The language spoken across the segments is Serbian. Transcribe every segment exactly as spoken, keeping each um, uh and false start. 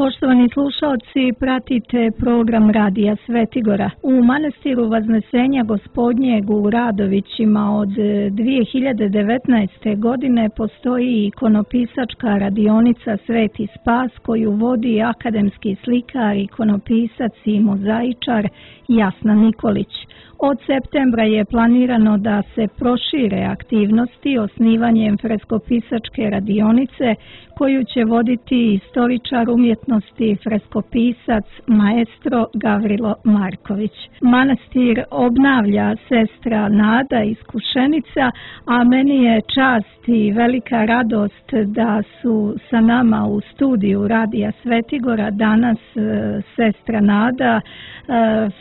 Poštovani slušalci, pratite program Radija Svetigora. U manastiru Vaznesenja Gospodnjeg u Radovićima od dvije hiljade devetnaeste. godine postoji ikonopisačka radionica Sveti Spas koju vodi akademski slikar, ikonopisac i mozaičar Jasna Nikolić. Od septembra je planirano da se prošire aktivnosti osnivanjem freskopisačke radionice koju će voditi istoričar umjetnosti, freskopisac, maestro Gavrilo Marković. Manastir obnavlja sestra Nada iz Kušenica, a meni je čast i velika radost da su sa nama u studiju Radija Svetigora danas sestra Nada,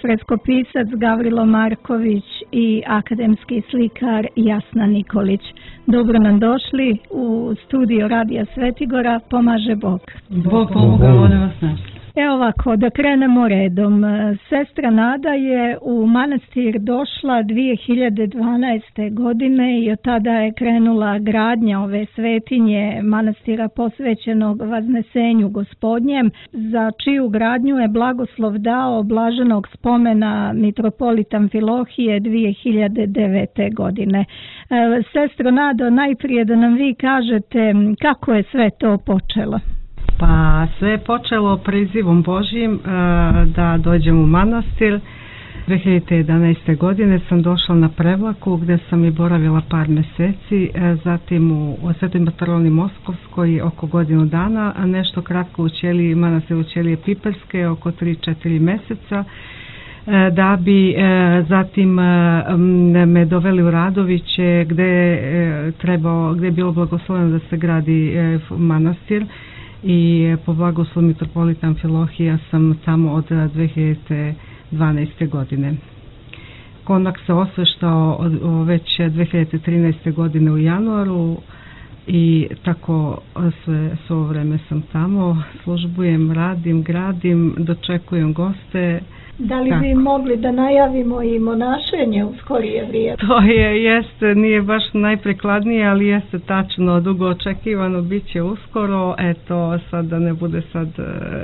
freskopisac Gavrilo Marković i akademski slikar Jasna Nikolić. Dobro nam došli u studio Radija Svetigora, pomaže Bog. Bog pomoga, one vas našli. Evo ovako, da krenemo redom. Sestra Nada je u manastir došla dvije hiljade dvanaeste. godine i od tada je krenula gradnja ove svetinje manastira posvećenog Vaznesenju Gospodnjem, za čiju gradnju je blagoslov dao blaženog spomena mitropolita Amfilohije dvije hiljade devete. godine. Sestro Nado, najprije da nam vi kažete kako je sve to počelo. Pa sve je počelo prizivom Božjim da dođem u manastir. dvije hiljade jedanaeste. godine sam došla na Prevlaku gdje sam i boravila par mjeseci, zatim u Svetoj Bartolomiji Moskovskoj oko godinu dana, a nešto kratko u ćeliji, manastir u ćelije Piperske oko tri četiri mjeseca, da bi zatim me doveli u Radoviće gdje trebao, gdje je bilo blagosloveno da se gradi manastir. I po blagoslovu mitropolita Amfilohija sam tamo od dvije hiljade dvanaeste. godine. Konak se osveštao već dvije hiljade trinaeste. godine u januaru i tako sve, sve ovo vreme sam tamo, službujem, radim, gradim, dočekujem goste. Da li bi mogli da najavimo i monašenje u skorije vrijeme? To je, jeste, nije baš najprikladnije, ali jeste tačno, dugo očekivano, bit će uskoro. Eto, sad da ne bude sad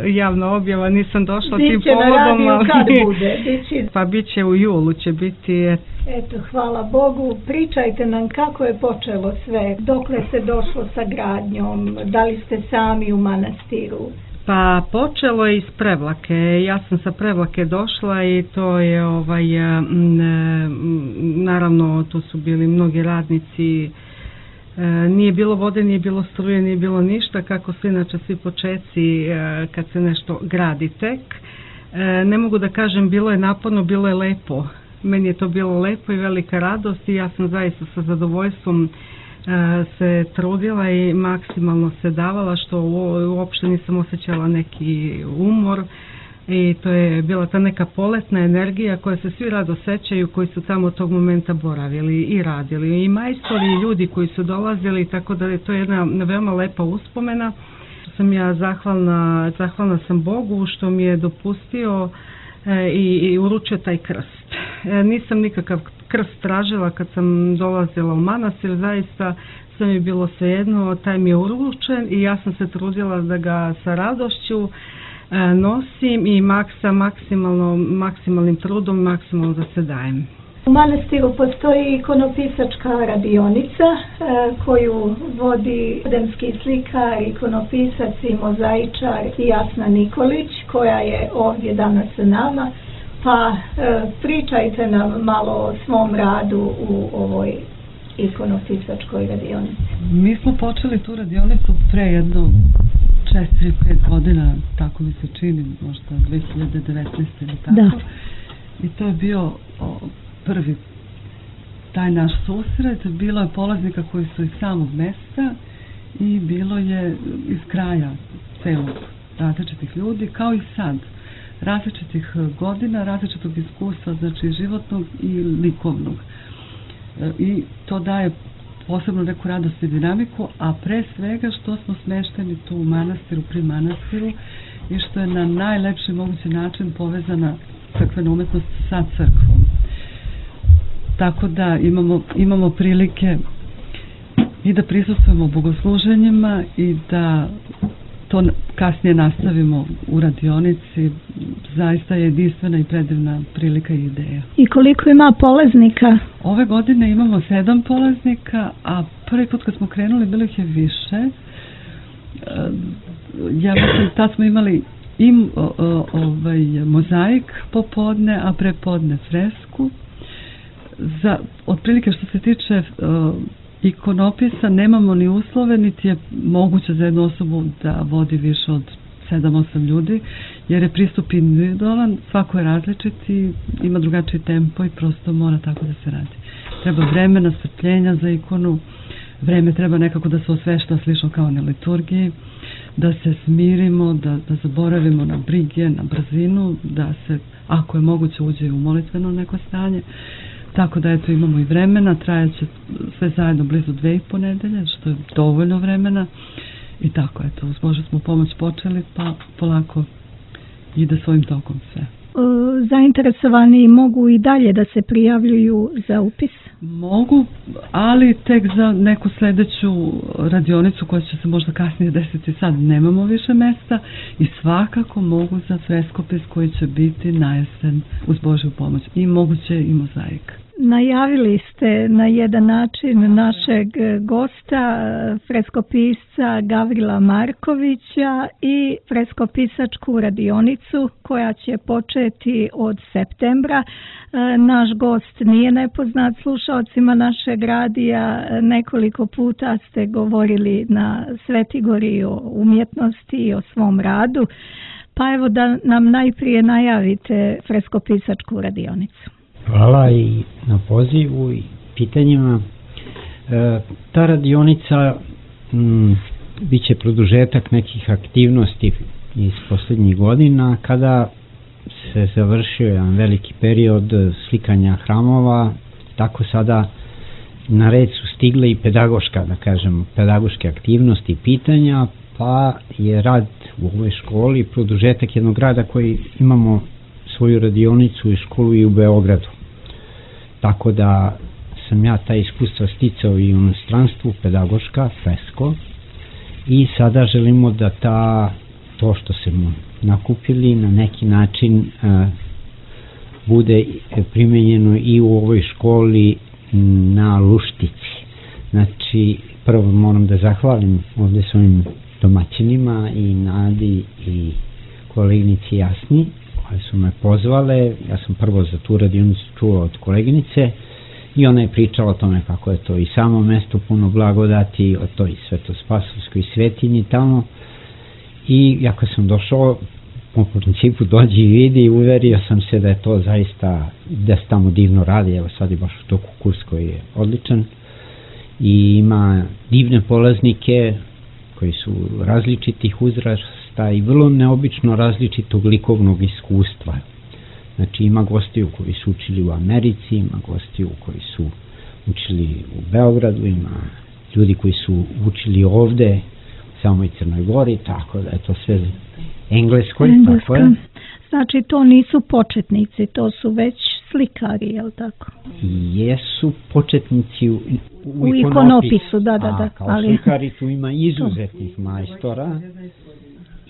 javna objava, nisam došla tim povodom. Biće na radiju kad bude? Biće... Pa bit će u julu, će biti... Eto, hvala Bogu. Pričajte nam kako je počelo sve, dokle se došlo sa gradnjom, da li ste sami u manastiru? Pa počelo je iz Prevlake. Ja sam sa Prevlake došla i to je ovaj naravno tu su bili mnogi radnici. Nije bilo vode, nije bilo struje, nije bilo ništa, kako su inače svi počeci kad se nešto gradi tek. Ne mogu da kažem bilo je naporno, bilo je lepo. Meni je to bilo lepo i velika radost i ja sam zaista sa zadovoljstvom se trudila i maksimalno se davala, što uopšte nisam osjećala neki umor i to je bila ta neka poletna energija koja se svi rado sećaju, koji su tamo tog momenta boravili i radili, i majstori i ljudi koji su dolazili, tako da je to jedna veoma lepa uspomena. Sam ja zahvalna, zahvalna sam Bogu što mi je dopustio i, i uručio taj krst. Nisam nikakav krst tražila kad sam dolazila u manastir, zaista sve mi je bilo svejedno, taj mi je uručen i ja sam se trudila da ga sa radošću nosim i maksa, maksimalno, maksimalnim trudom, maksimalno da se dajem. U manastiru postoji ikonopisačka radionica koju vodi akademski slikar, ikonopisac i mozaičar Jasna Nikolić, koja je ovdje danas sa nama. Pa e, pričajte nam malo o svom radu u ovoj ikonopisačkoj radionici. Mi smo počeli tu radionicu pre jedno četiri pet godina, tako mi se čini, možda dvije hiljade devetnaeste. ili tako. Da. I to je bio o, prvi taj naš susret. Bilo je polaznika koji su iz samog mesta i bilo je iz kraja celog različitih ljudi, kao i sad. Različitih godina, različitog iskustva, znači životnog i likovnog. I to daje posebno neku radost i dinamiku, a pre svega što smo smešteni tu u manastiru, pri manastiru, i što je na najlepši mogući način povezana crkvena umetnost sa crkvom. Tako da imamo, imamo prilike i da prisustvujemo bogosluženjima i da to kasnije nastavimo u radionici. Zaista je jedinstvena i predivna prilika i ideja. I koliko ima polaznika? Ove godine imamo sedam polaznika, a prvi put kad smo krenuli bilo ih je više. Ja mislim, tad smo imali i ovaj, mozaik popodne, a prepodne fresku. Za, otprilike što se tiče uh, ikonopisa, nemamo ni uslove, niti je moguće za jednu osobu da vodi više od sedam osam ljudi, jer je pristup individualan, svako je različit i ima drugačiji tempo i prosto mora tako da se radi. Treba vremena, strpljenja za ikonu, vreme treba nekako da se osvešta slično kao na liturgiji, da se smirimo, da, da zaboravimo na brige, na brzinu, da se, ako je moguće, uđe u molitveno neko stanje. Tako da eto, imamo i vremena, trajaće sve zajedno blizu dve i po nedelje, što je dovoljno vremena. I tako, eto, uz Božju smo pomoć počeli, pa polako ide svojim tokom sve. Zainteresovani mogu i dalje da se prijavljuju za upis? Mogu, ali tek za neku sledeću radionicu koja će se možda kasnije desiti, sad nemamo više mesta, i svakako mogu za freskopis koji će biti na jesen uz Božju pomoć, i moguće i mozaik. Najavili ste na jedan način našeg gosta, freskopisca Gavrila Markovića, i freskopisačku radionicu koja će početi od septembra. Naš gost nije nepoznat slušalcima našeg radija. Nekoliko puta ste govorili na Svetigori o umjetnosti i o svom radu. Pa evo da nam najprije najavite freskopisačku radionicu. Hvala i na pozivu i pitanjima. E, ta radionica m, bit će produžetak nekih aktivnosti iz posljednjih godina, kada se završio jedan veliki period slikanja hramova. Tako sada na red su stigle i pedagoška, da kažem, pedagoške aktivnosti i pitanja, pa je rad u ovoj školi produžetak jednog rada koji imamo svoju radionicu i školu i u Beogradu. Tako da sam ja ta iskustva sticao i u inostranstvu, pedagoška, fresko, i sada želimo da ta, to što smo nakupili na neki način a, bude primenjeno i u ovoj školi na Luštici. Znači, prvo moram da zahvalim ovde svojim domaćinima i Nadi i koleginici Jasni, koje su me pozvale. Ja sam prvo za tu radionicu čuo od koleginice i ona je pričala o tome kako je to i samo mesto puno blagodati, o toj Svetospasovskoj svetinji tamo, i ja kad sam došao, po principu dođi i vidi, i uverio sam se da je to zaista, da se tamo divno radi. Evo sad je baš u toku kurs koji je odličan i ima divne polaznike koji su različitih uzrasta i vrlo neobično različitog likovnog iskustva. Znači, ima gostiju koji su učili u Americi, ima gostiju koji su učili u Beogradu, ima ljudi koji su učili ovde u samoj Crnoj Gori, tako da je to sve engleskoj. Tako je. Znači, to nisu početnici, to su već slikari, je li tako? Jesu početnici u, u, u ikonopisu, da, da, da. A, kao ali... slikari tu ima izuzetnih majstora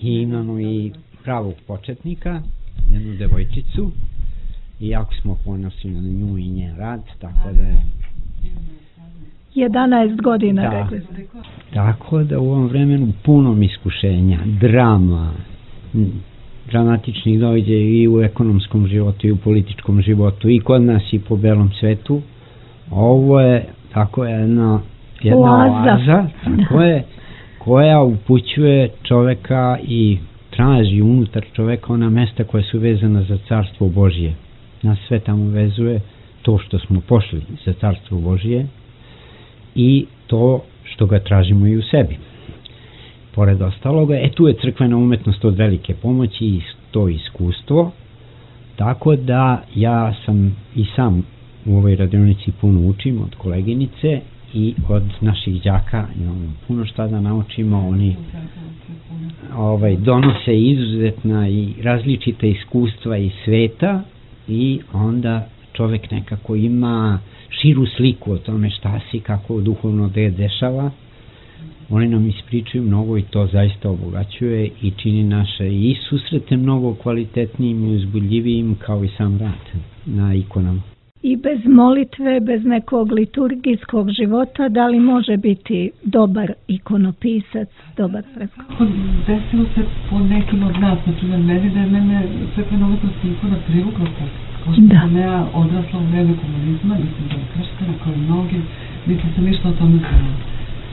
i imamo i pravog početnika, jednu devojčicu, i jako smo ponosni na nju i njen rad, tako da je jedanaest godina, da, rekli. Tako da u ovom vremenu punom iskušenja, drama, dramatičnih događaja i u ekonomskom životu i u političkom životu i kod nas i po belom svetu, ovo je tako jedna, jedna oaza, oaza tako je, koja upućuje čoveka i traži unutar čoveka ona mesta koja su vezana za Carstvo Božije. Nas sve tamo vezuje to što smo pošli za Carstvo Božije i to što ga tražimo i u sebi. Pored ostaloga, e tu je crkvena umetnost od velike pomoći i to iskustvo, tako da ja sam i sam u ovoj radionici puno učim od koleginice i od naših đaka, imamo puno šta da naučimo. Oni ovaj, donose izuzetna i različita iskustva iz sveta i onda čovek nekako ima širu sliku o tome šta si, kako duhovno da je dešava oni nam ispričaju mnogo i to zaista obogaćuje i čini naše i susrete mnogo kvalitetnijim i uzbudljivijim kao i sam rad na ikonama. I bez molitve, bez nekog liturgijskog života, da li može biti dobar ikonopisac, dobar freskopisac? Desilo se po nekim od nas, znači meni da je mene crkvena umetnost ikona privukla tako. Pošto sam ja odrasla u vreme komunizma, nisam bila krštena kao i mnogi, niti sam ništa o tome znala.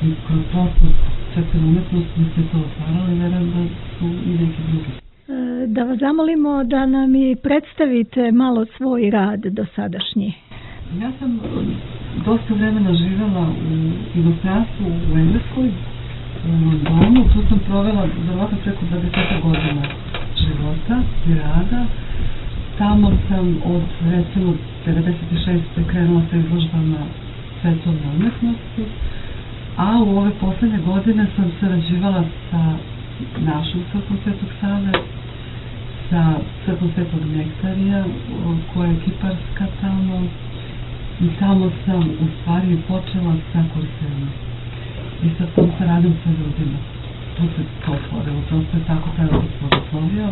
I kroz prosto crkvena umetnost mi se to otvaralo i verujem da su i neki drugi. Da vas zamolimo da nam i predstavite malo svoj rad dosadašnji. Ja sam dosta vremena živjela u inostranstvu u Engleskoj, u Londonu. Tu sam provela verovatno preko dvadeset godina života i rada. Tamo sam od recimo devedeset šeste krenula sa izložbama svetovne umetnosti, a u ove poslednje godine sam sarađivala sa našom crkvom Svetog Save, sa crkvom Svetog Nektarija, koja je kiparska tamo, i tamo sam u stvari počela sa kursevima. I sa tom saradnjom sa ljudima. Tu se to otvorilo, prosto je tako taj odnos otvorio.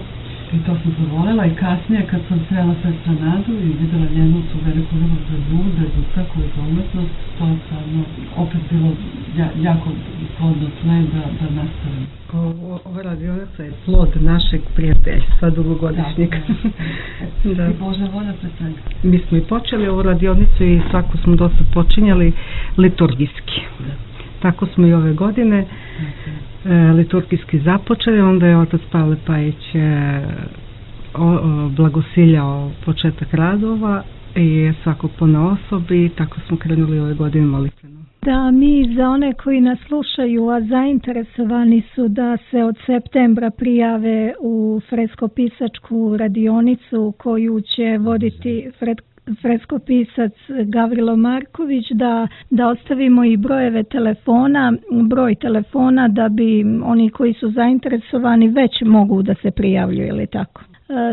I to sam zavolela i kasnije kad sam srela sestra Nadu i videla njenu tu veliku ljubav za ljude, za crkvu i za umetnost, to je stvarno opet bilo ja, jako plodno tle da, da nastavim. Ovo, ova radionica je plod našeg prijateljstva dugogodišnjeg. Da, da. I Božja volja pre svega. Mi smo i počeli ovu radionicu i svako smo dosta počinjali liturgijski. Da. Tako smo i ove godine e, liturgijski započeli, onda je otac Pavle Pajić e, o, o, blagosiljao početak radova i svakog ponaosob i tako smo krenuli ove godine molitvenom. Da, mi za one koji nas slušaju, a zainteresovani su da se od septembra prijave u freskopisačku radionicu koju će voditi Fred freskopisac Gavrilo Marković, da, da ostavimo i brojeve telefona, broj telefona da bi oni koji su zainteresovani već mogu da se prijavljuju, ili tako.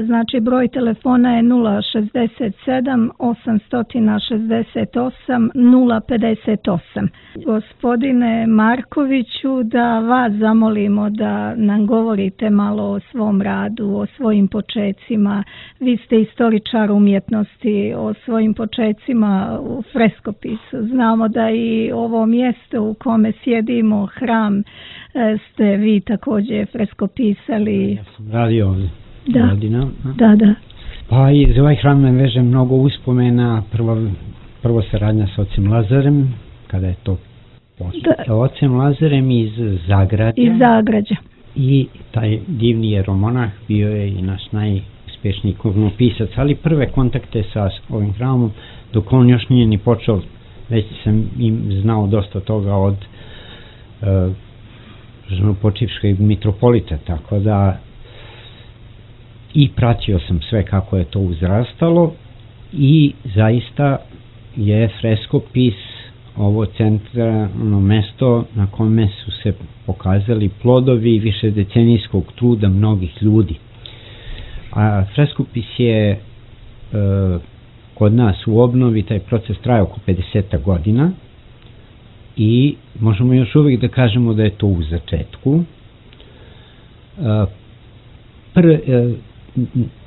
Znači broj telefona je nula šezdeset sedam osamsto šezdeset osam nula pedeset osam. Gospodine Markoviću, da vas zamolimo da nam govorite malo o svom radu, o svojim počecima. Vi ste istoričar umjetnosti, o svojim počecima u freskopisu. Znamo da i ovo mjesto u kome sjedimo, hram, ste vi također freskopisali. Ja sam radio ovdje. Da, godina. da, da. Pa i za ovaj hram me veže mnogo uspomena. Prvo, prvo saradnja sa ocem Lazarem, kada je to počeo. Ocem Lazarem iz Zagrađa. Iz Zagrađa. I taj divni jeromonah bio je i naš najuspešniji ikonopisac, ali prve kontakte sa ovim hramom, dok on još nije ni počeo, već sam im znao dosta toga od uh, počivškog mitropolita, tako da i pratio sam sve kako je to uzrastalo i zaista je freskopis ovo centralno mesto na kome su se pokazali plodovi višedecenijskog truda mnogih ljudi. A freskopis je e, kod nas u obnovi, taj proces traje oko pedeset godina i možemo još uvijek da kažemo da je to u začetku. E, pr, e,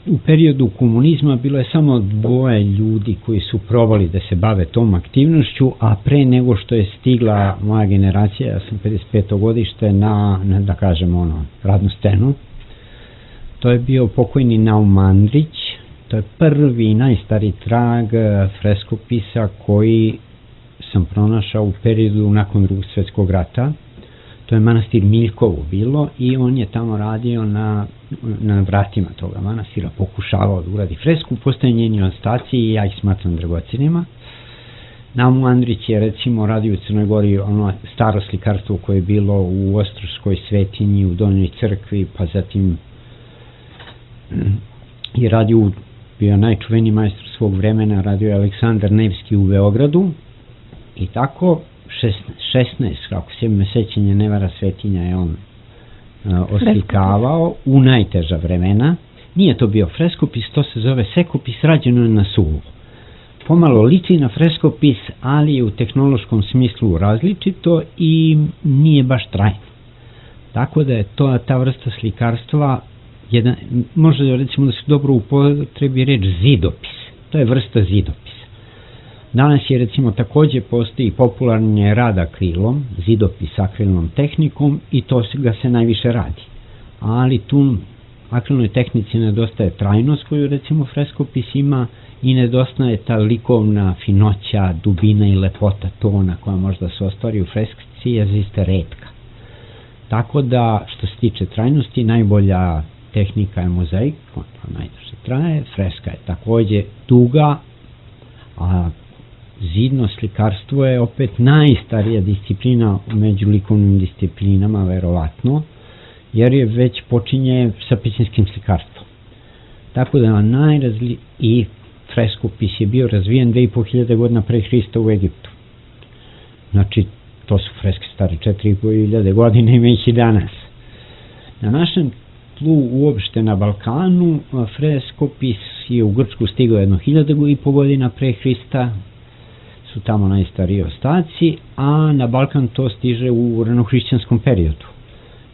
u periodu komunizma bilo je samo dvoje ljudi koji su probali da se bave tom aktivnošću, a pre nego što je stigla moja generacija, ja sam pedeset peto godište, na, na da kažemo ono, radnu scenu. To je bio pokojni Naum Andrić, to je prvi najstari trag freskopisa koji sam pronašao u periodu nakon Drugog svjetskog rata. To je manastir Miljkovo bilo i on je tamo radio na, na vratima toga manastira, pokušavao da uradi fresku, postoje njeni ostaci i ja ih smatram dragocenima. Naum Andrić je recimo radio u Crnoj Gori ono staro slikarstvo koje je bilo u Ostroškoj svetinji, u Donjoj crkvi, pa zatim je radio, bio najčuveniji majstor svog vremena, radio je Aleksandar Nevski u Beogradu i tako šesnaest, kako se me sećanje ne vara, svetinja je on uh, oslikavao u najteža vremena. Nije to bio freskopis, to se zove sekopis, rađeno je na suvo. pomalo liči na freskopis, ali je u tehnološkom smislu različito i nije baš trajno. Tako da je to ta vrsta slikarstva, jedan, možda recimo da se dobro upotrebi reč zidopis. To je vrsta zidopisa. Danas je recimo takođe postoji popularni rad akrilom, zidopis akrilnom tehnikom i to ga se najviše radi. Ali tu akrilnoj tehnici nedostaje trajnost koju recimo freskopis ima i nedostaje ta likovna finoća, dubina i lepota tona koja možda se ostvari u freskici je zaista retka. Tako da što se tiče trajnosti najbolja tehnika je mozaik, ona najduže traje, freska je takođe duga, a zidno slikarstvo je opet najstarija disciplina među likovnim disciplinama, verovatno, jer je već počinje sa pisinskim slikarstvom. Tako da najrazli i freskopis je bio razvijen dve i po hiljade godina pre Hrista u Egiptu. Znači, to su freske stare četiri i po hiljade godine, ima ih i danas. Na našem tlu uopšte na Balkanu freskopis je u Grčku stigao jedno hiljade i po godina pre Hrista, su tamo najstariji ostaci, a na Balkan to stiže u ranohrišćanskom periodu.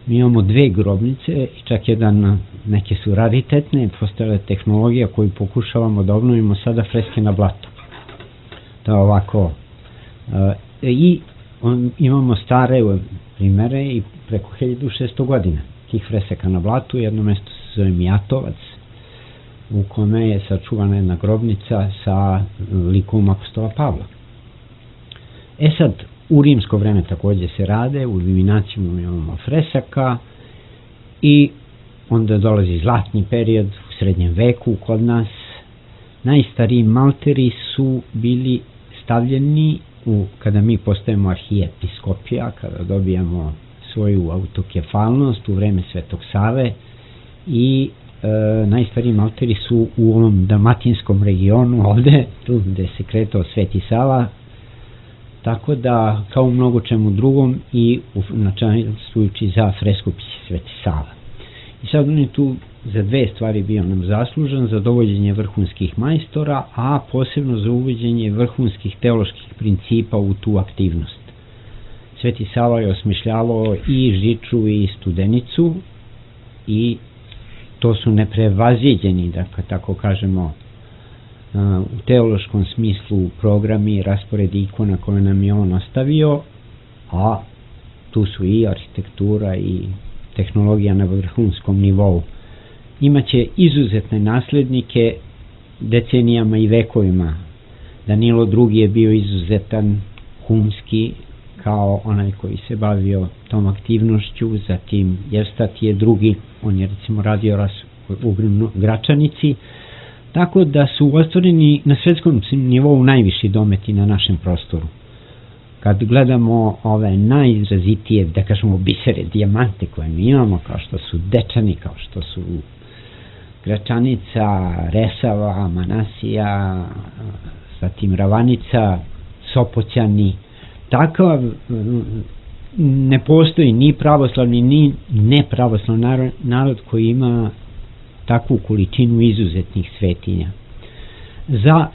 Mi imamo dve grobnice i čak jedan, neke su raritetne, postojala tehnologija koju pokušavamo da obnovimo sada freske na blatu. To je ovako. E, I on, imamo stare primere i preko hiljadu šesto godina tih freseka na blatu. Jedno mesto se zove Mijatovac, u kome je sačuvana jedna grobnica sa likom apostola Pavla. E sad, u rimsko vreme takođe se rade, u Divinacijum imamo fresaka i onda dolazi zlatni period u srednjem veku kod nas. Najstariji malteri su bili stavljeni u, kada mi postajemo arhijepiskopija, kada dobijamo svoju autokefalnost u vreme Svetog Save i e, najstariji malteri su u ovom dalmatinskom regionu ovde, tu gde se kretao Sveti Sava. Tako da, kao u mnogo čemu drugom i načinstvujući za freskopis Sveti Sava. I sad on je tu za dve stvari bio nam zaslužan, za dovođenje vrhunskih majstora, a posebno za uvođenje vrhunskih teoloških principa u tu aktivnost. Sveti Sava je osmišljavao i Žiču i Studenicu i to su neprevaziđeni, da tako kažemo, u teološkom smislu programi, raspored ikona koje nam je on ostavio, a tu su i arhitektura i tehnologija na vrhunskom nivou. Imaće izuzetne naslednike decenijama i vekovima. Danilo drugi je bio izuzetan, humski, kao onaj koji se bavio tom aktivnošću, zatim Jevstat je drugi, on je recimo radio u Gračanici, tako da su ostvareni na svetskom nivou najviši dometi na našem prostoru. Kad gledamo ove najizrazitije, da kažemo, bisere, dijamante koje mi imamo, kao što su Dečani, kao što su Gračanica, Resava, Manasija, zatim Ravanica, Sopoćani, takav ne postoji ni pravoslavni ni nepravoslavni narod koji ima takvu količinu izuzetnih svetinja. Za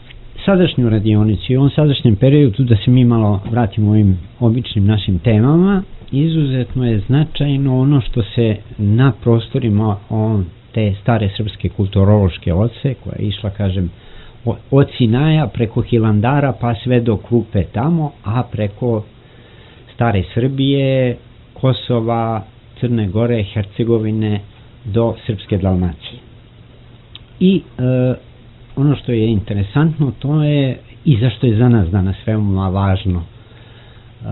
sadašnju radionicu i u ovom sadašnjem periodu, da se mi malo vratimo ovim običnim našim temama, izuzetno je značajno ono što se na prostorima on, te stare srpske kulturološke oce, koja je išla, kažem, od Sinaja preko Hilandara pa sve do Krupe tamo, a preko stare Srbije, Kosova, Crne Gore, Hercegovine do Srpske Dalmacije. I e, ono što je interesantno, to je i zašto je za nas danas veoma važno. E,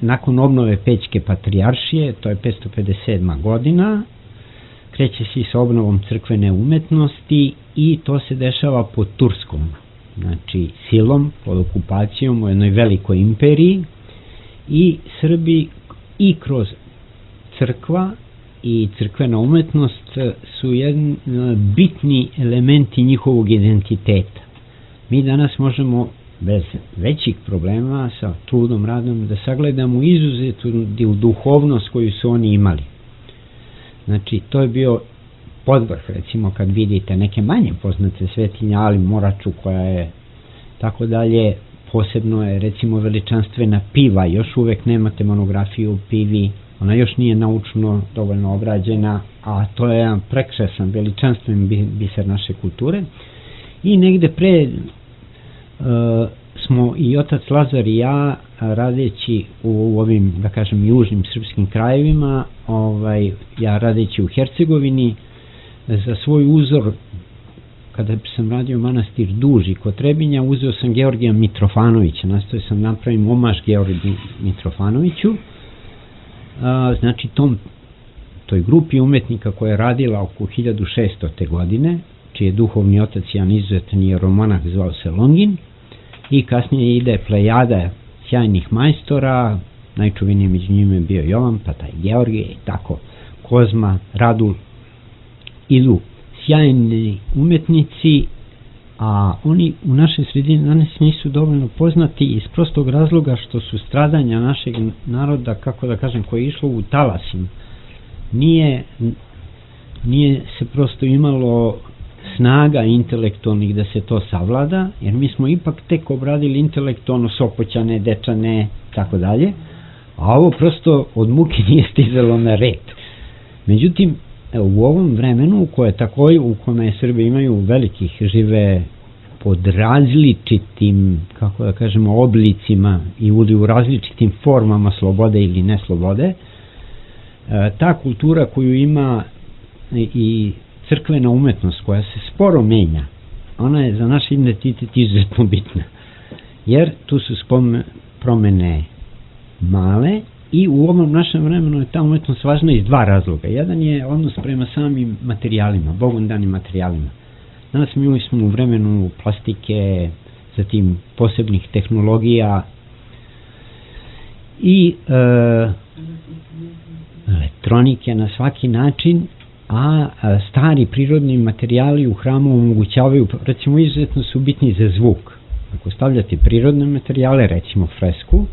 nakon obnove Pećke patrijaršije, to je petsto pedeset sedma godina, kreće se sa obnovom crkvene umetnosti i to se dešava pod Turskom, znači silom, pod okupacijom u jednoj velikoj imperiji, i Srbi i kroz crkva i crkvena umetnost su jedni bitni elementi njihovog identiteta. Mi danas možemo bez većih problema sa trudom, radom da sagledamo izuzetnu duhovnost koju su oni imali. Znači, to je bio podvrh, recimo kad vidite neke manje poznate svetinje, ali Moraču koja je tako dalje, posebno je recimo veličanstvena Piva, još uvek nemate monografiju o Pivi, ona još nije naučno dovoljno obrađena, a to je jedan prekrasan, veličanstven biser naše kulture. I negde pre uh, smo i otac Lazar i ja radeći u, u ovim, da kažem, južnim srpskim krajevima, ovaj, ja radeći u Hercegovini, za svoj uzor, kada sam radio manastir Duži kod Trebinja, uzeo sam Georgija Mitrofanovića, nastojao sam napravim omaž Georgiju Mitrofanoviću, a, znači tom, toj grupi umetnika koja je radila oko hiljadu šeststote godine, čiji je duhovni otac jedan izuzetan jeromonah zvao se Longin, i kasnije ide plejada sjajnih majstora, najčuveniji među njima je bio Jovan, pa taj Georgije i tako, Kozma, Radul, idu sjajni umetnici, a oni u našoj sredini danas nisu dovoljno poznati iz prostog razloga što su stradanja našeg naroda, kako da kažem, koje je išlo u talasima. Nije, nije se prosto imalo snaga intelektualnih da se to savlada, jer mi smo ipak tek obradili intelektualno Sopoćane, Dečane, tako dalje, a ovo prosto od muke nije stizalo na red. Međutim, u ovom vremenu, koje takođe, u kome Srbi imaju velikih, žive pod različitim, kako da kažemo, oblicima i u različitim formama slobode ili neslobode, ta kultura koju ima i crkvena umetnost koja se sporo menja, ona je za naš identitet izuzetno bitna, jer tu su spome, promene male. I u ovom našem vremenu je ta umetnost važna iz dva razloga. Jedan je odnos prema samim materijalima, Bogom danim materijalima. Danas mi smo u vremenu plastike, zatim posebnih tehnologija i e, elektronike na svaki način, a, a stari prirodni materijali u hramu omogućavaju, recimo izuzetno su bitni za zvuk. Ako stavljate prirodne materijale, recimo fresku,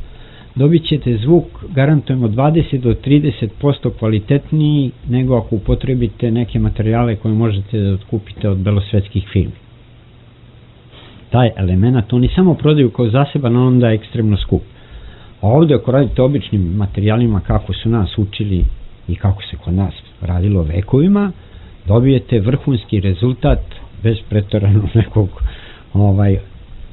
dobit ćete zvuk, garantujemo, dvadeset do trideset posto kvalitetniji nego ako upotrebite neke materijale koje možete da otkupite od belosvetskih firmi. Taj element oni samo prodaju kao zaseban, onda je ekstremno skup. A ovde ako radite običnim materijalima kako su nas učili i kako se kod nas radilo vekovima, dobijete vrhunski rezultat bez preterano nekog ovaj,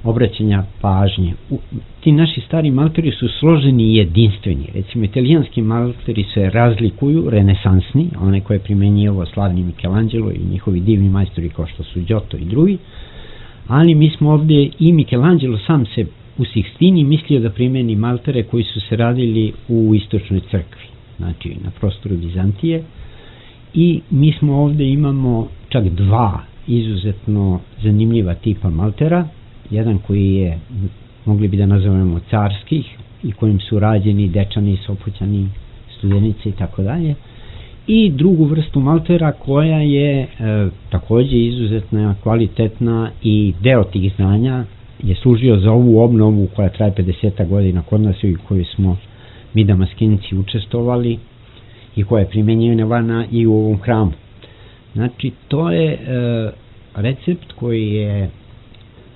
obraćanja pažnje. U, ti naši stari malteri su složeni i jedinstveni. Recimo, italijanski malteri se razlikuju, renesansni, one koje primenjivo slavni Michelangelo i njihovi divni majstori kao što su Giotto i drugi, ali mi smo ovdje, i Michelangelo sam se u Sixtini mislio da primeni maltere koji su se radili u istočnoj crkvi, znači na prostoru Bizantije, i mi smo ovdje imamo čak dva izuzetno zanimljiva tipa maltera, jedan koji je, mogli bi da nazovemo, carskih i kojim su rađeni Dečani, Sopoćani, Studenice i tako dalje, i drugu vrstu maltera koja je e, takođe izuzetna, kvalitetna, i deo tih znanja je služio za ovu obnovu koja traje pedeset godina kod nas i koju smo mi damaskinici učestovali i koja je primenjivana i u ovom hramu. Znači, to je e, recept koji je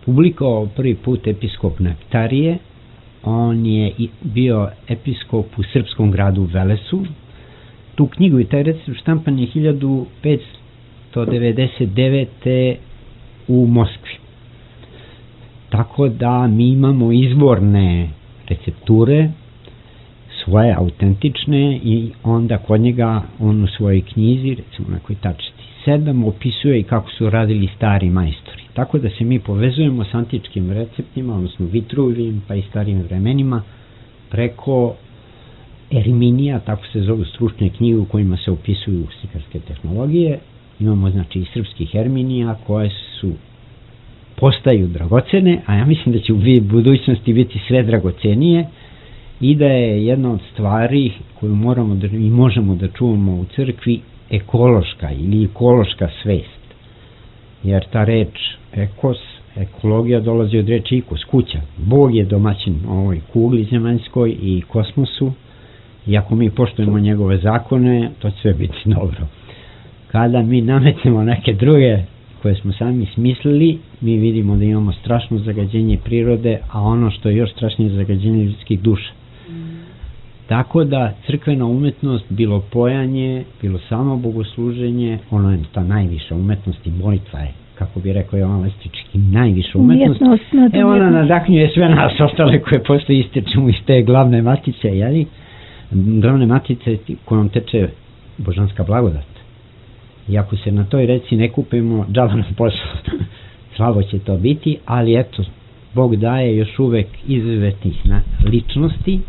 publikovao prvi put episkop Nektarije. On je bio episkop u srpskom gradu Velesu. Tu knjigu i taj recept štampan je hiljadu petsto devedeset devete u Moskvi. Tako da mi imamo izvorne recepture, svoje autentične, i onda kod njega on u svojoj knjizi, recimo na kojoj tačiti sedam, opisuje i kako su radili stari majstori. Tako da se mi povezujemo s antičkim receptima, odnosno Vitruvijim, pa i starijim vremenima, preko Erminija, tako se zovu stručne knjige u kojima se opisuju slikarske tehnologije. Imamo, znači, i srpskih Erminija koje su postaju dragocene, a ja mislim da će u budućnosti biti sve dragocenije, i da je jedna od stvari koju moramo da, i možemo da čuvamo u crkvi ekološka ili ekološka svest. Jer ta reč ekos, ekologija dolazi od reči ikos, kuća. Bog je domaćin ovoj kugli zemaljskoj i kosmosu, i ako mi poštujemo njegove zakone, to će sve biti dobro. Kada mi nametnemo neke druge koje smo sami smislili, mi vidimo da imamo strašno zagađenje prirode, a ono što je još strašnije zagađenje ljudskih duša. Mm. Tako da crkvena umetnost, bilo pojanje, bilo samo bogosluženje, ono je ta najviša umetnost i molitva je, kako bi rekao Jovan Lestički, najviša umetnost. umetnost e ona nadahnjuje sve nas ostale koje posle istečemo iz te glavne matice, jeli? Glavne matice kojom teče božanska blagodat. I ako se na toj reci ne kupimo, džaba nam posao. Slabo će to biti, ali eto, Bog daje još uvek izuzetnih ličnosti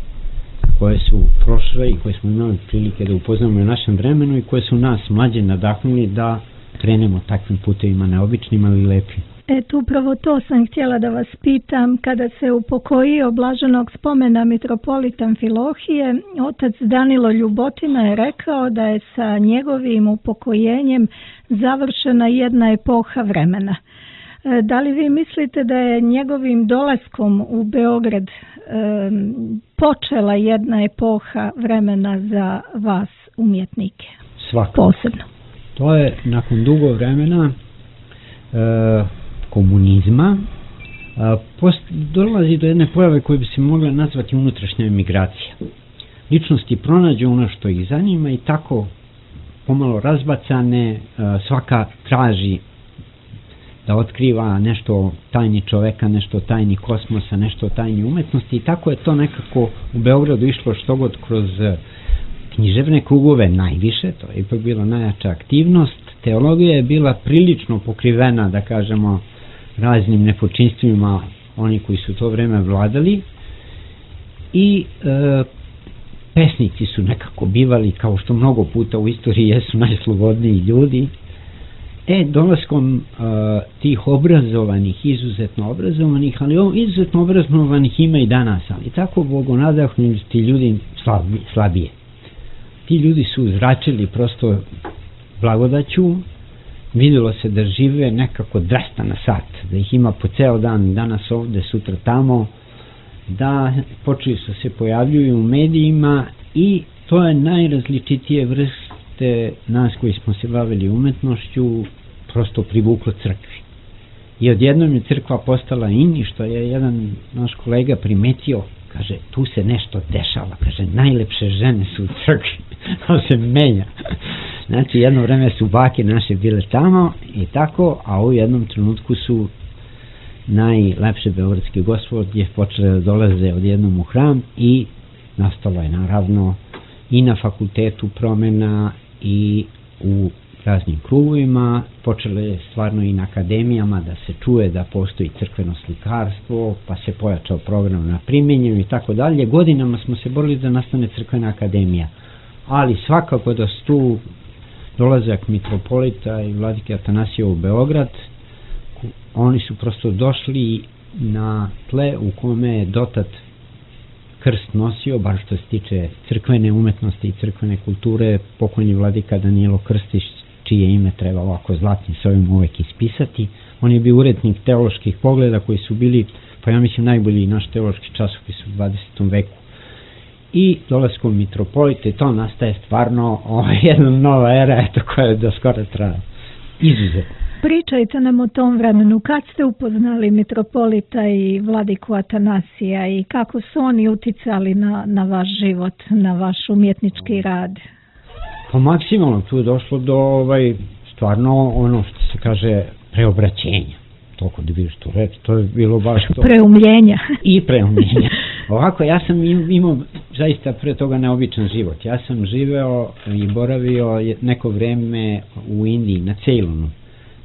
koje su prošle i koje smo imali prilike da upoznamo u našem vremenu i koje su nas mlađe nadahnuli da krenemo takvim putevima neobičnim, ali lepim. Eto, upravo to sam htjela da vas pitam. Kada se upokojio blaženog spomena mitropolita Amfilohije, otac Danilo Ljubotina je rekao da je sa njegovim upokojenjem završena jedna epoha vremena. Da li vi mislite da je njegovim dolaskom u Beograd e, počela jedna epoha vremena za vas umjetnike? Svakako. Posebno. To je nakon dugo vremena e, komunizma a, post, dolazi do jedne pojave koje bi se mogla nazvati unutrašnja emigracija. Ličnosti pronađu ono što ih zanima i tako pomalo razbacane, a, svaka traži da otkriva nešto tajni čoveka, nešto tajni kosmosa, nešto tajni umetnosti i tako je to nekako u Beogradu išlo što god kroz književne krugove najviše, to je ipak bila najjača aktivnost. Teologija je bila prilično pokrivena, da kažemo, raznim nepočinstvima oni koji su to vreme vladali i e, pesnici su nekako bivali, kao što mnogo puta u istoriji jesu najslobodniji ljudi. E, dolaskom uh, tih obrazovanih, izuzetno obrazovanih, ali ovo izuzetno obrazovanih ima i danas, ali tako bogonadahnuti ti ljudi slabi, slabije. Ti ljudi su zračili prosto blagodaću, vidjelo se da žive nekako dvesta na sat, da ih ima po ceo dan, danas ovde, sutra tamo, da počeli su se pojavljuju u medijima i to je najrazličitije vrste nas koji smo se bavili umetnošću prosto privuklo crkvi. I odjednom je crkva postala in i što je jedan naš kolega primetio, kaže, tu se nešto dešava, kaže, najlepše žene su u crkvi, to se menja. Znači, jedno vreme su bake naše bile tamo i tako, a u jednom trenutku su najlepše beogradske gospodje počele da dolaze odjednom u hram i nastalo je naravno i na fakultetu promena i u raznim krugovima, počelo je stvarno i na akademijama da se čuje da postoji crkveno slikarstvo, pa se pojačao program na primenju i tako dalje. Godinama smo se borili da nastane crkvena akademija, ali svakako da su tu dolazak mitropolita i vladike Atanasija u Beograd, oni su prosto došli na tle u kome je dotad krst nosio, bar što se tiče crkvene umetnosti i crkvene kulture, pokojni vladika Danilo Krstić, čije ime treba ovako zlatnim slovima uvek ispisati. On je bio urednik teoloških pogleda koji su bili, pa ja mislim, najbolji naš teološki časopis u dvadesetom veku. I dolaskom mitropolite, to nastaje stvarno ovaj, jedna nova era, eto, koja je do skoro traja. Izuzetno. Pričajte nam o tom vremenu. Kad ste upoznali mitropolita i vladiku Atanasija i kako su oni uticali na, na vaš život, na vaš umjetnički rad? Pa maksimalno tu je došlo do ovaj, stvarno ono što se kaže preobraćenja. Toliko da bi što reći, to je bilo baš to. Preumljenja. I preumljenja. Ovako, ja sam imao zaista pre toga neobičan život. Ja sam živeo i boravio neko vreme u Indiji, na Ceylonu.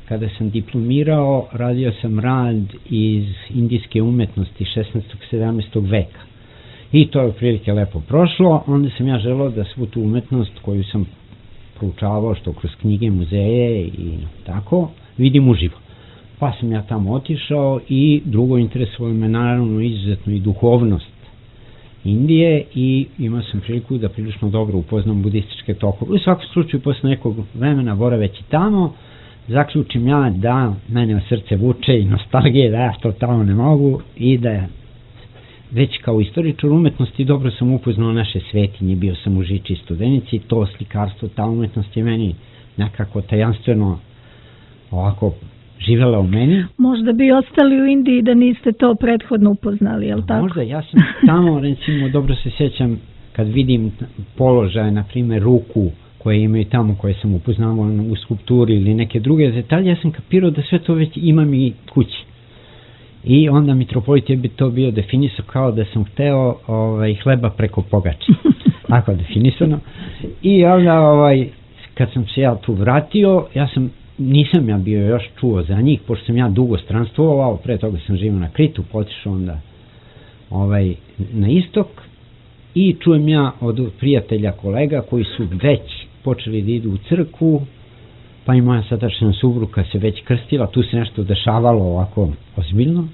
Kada sam diplomirao, radio sam rad iz indijske umetnosti šesnaestog sedamnaestog veka. I to je prilike lepo prošlo. Onda sam ja želeo da svu tu umetnost koju sam proučavao, što kroz knjige, muzeje i tako, vidim uživo. Pa sam ja tamo otišao i drugo interesovalo me naravno izuzetno i duhovnost Indije i imao sam priliku da prilično dobro upoznam budističke tokove. U svakom slučaju, posle nekog vremena boraveći tamo, zaključim ja da mene srce vuče i nostalgije, da ja to tamo ne mogu i da već kao istoričar umetnosti dobro sam upoznao naše svetinje, bio sam u Žiči Studenici, to slikarstvo, ta umetnost je meni nekako tajanstveno ovako živela u meni. Možda bi ostali u Indiji da niste to prethodno upoznali, je li tako? Možda, ja sam tamo, recimo, dobro se sjećam kad vidim položaje, na primjer ruku koje imaju tamo, koje sam upoznavao u skulpturi ili neke druge detalje, ja sam kapirao da sve to već imam i kući. I onda mitropolit je bi to bio definisao kao da sam hteo ovaj, hleba preko pogače. Tako definisano. I onda ovaj, kad sam se ja tu vratio, ja sam, nisam ja bio još čuo za njih, pošto sam ja dugo stranstvovao, pre toga sam živio na Kritu, potišao onda ovaj, na istok i čujem ja od prijatelja kolega koji su već počeli da idu u crkvu, pa i moja sadašnja supruga se već krstila, tu se nešto dešavalo ovako ozbiljno